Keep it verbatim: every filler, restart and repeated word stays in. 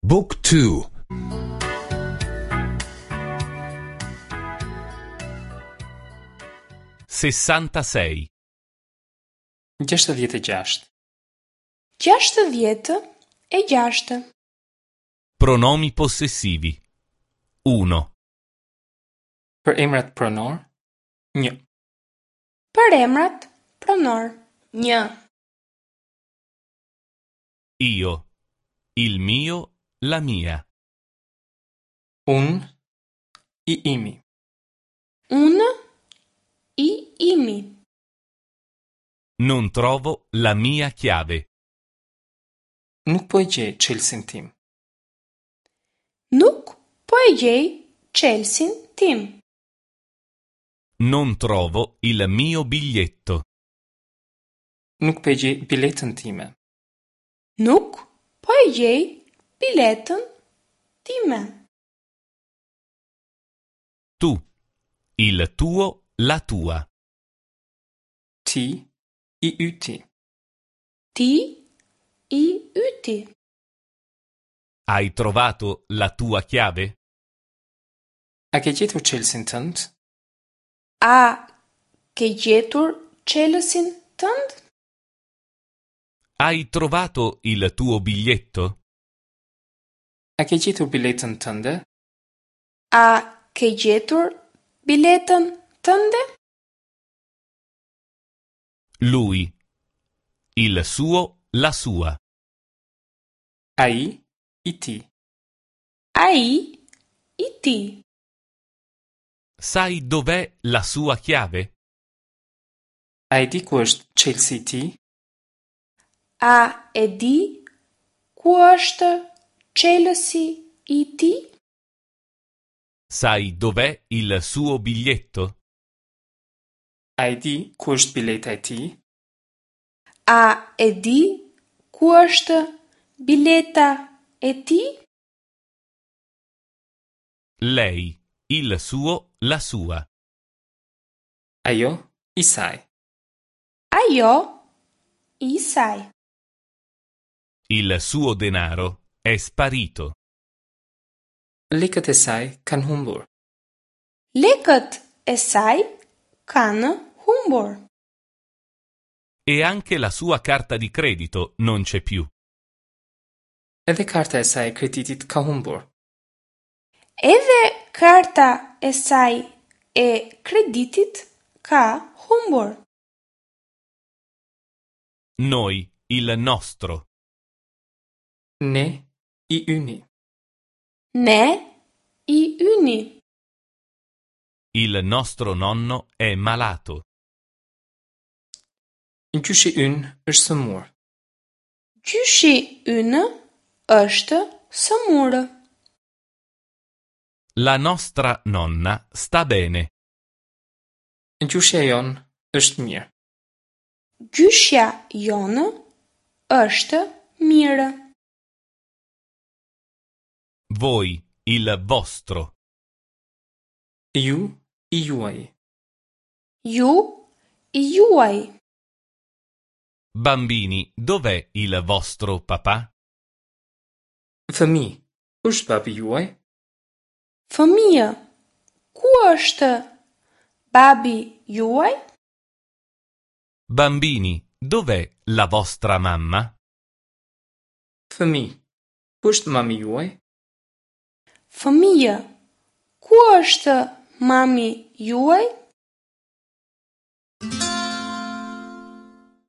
Book two. Sessantasei. Gjashtëdhjetë e gjashtë. Gjashtëdhjetë e gjashtë. Pronomi possessivi. Uno. Për emrat pronor, një. Për emrat pronor, një. Io. Il mio, la mia. Unë, i imi. Unë, i imi. Non trovo la mia chiave. Nuk po e gjej çelësin tim. Nuk po e gjej çelësin tim. Non trovo il mio biglietto. Nuk po e gjej biletën time. Nuk po e gjej biletën time. Tu. Il tuo, la tua. Ti, i yti. Ti, i yti. Hai trovato la tua chiave? A ke gjetur çelësin tënd? A ke gjetur çelësin tënd? Hai trovato il tuo biglietto? A ke gjetur biletën tënde? A ke gjetur biletën tënde? Lui. Il suo, la sua. Ai, i tij. Ai, i tij. Sai dov'è la sua chiave? A e di ku është çelësi i tij? A e di ku është çelësi i tij? Sai dov'è il suo biglietto? A e di ku është bileta e tij? A e di ku është bileta e tij? Lei, il suo, la sua. Ajo, i saj. Ajo, i saj. Il suo denaro è sparito. Lekët e saj kanë humbur. Lekët e saj kanë humbur. E anche la sua carta di credito non c'è più. Edhe karta e saj e kreditit ka humbur. Edhe karta e saj e kreditit ka humbur. Noi, il nostro. Ne, i yni. Ne, i yni. Il nostro nonno è malato. Gjyshi ynë është sëmur. Gjyshi ynë është sëmurë. La nostra nonna sta bene. Gjyshja jonë është mirë. Gjyshja jonë është mirë. Voi, il vostro. Ju, i juaj. Ju, i juaj. Bambini, dov'è il vostro papà? Fëmijë, ku është babi juaj? Fëmijë, ku është babi juaj? Bambini, dov'è la vostra mamma? Fëmijë, ku është mami juaj? Fëmijë, ku është mami juaj?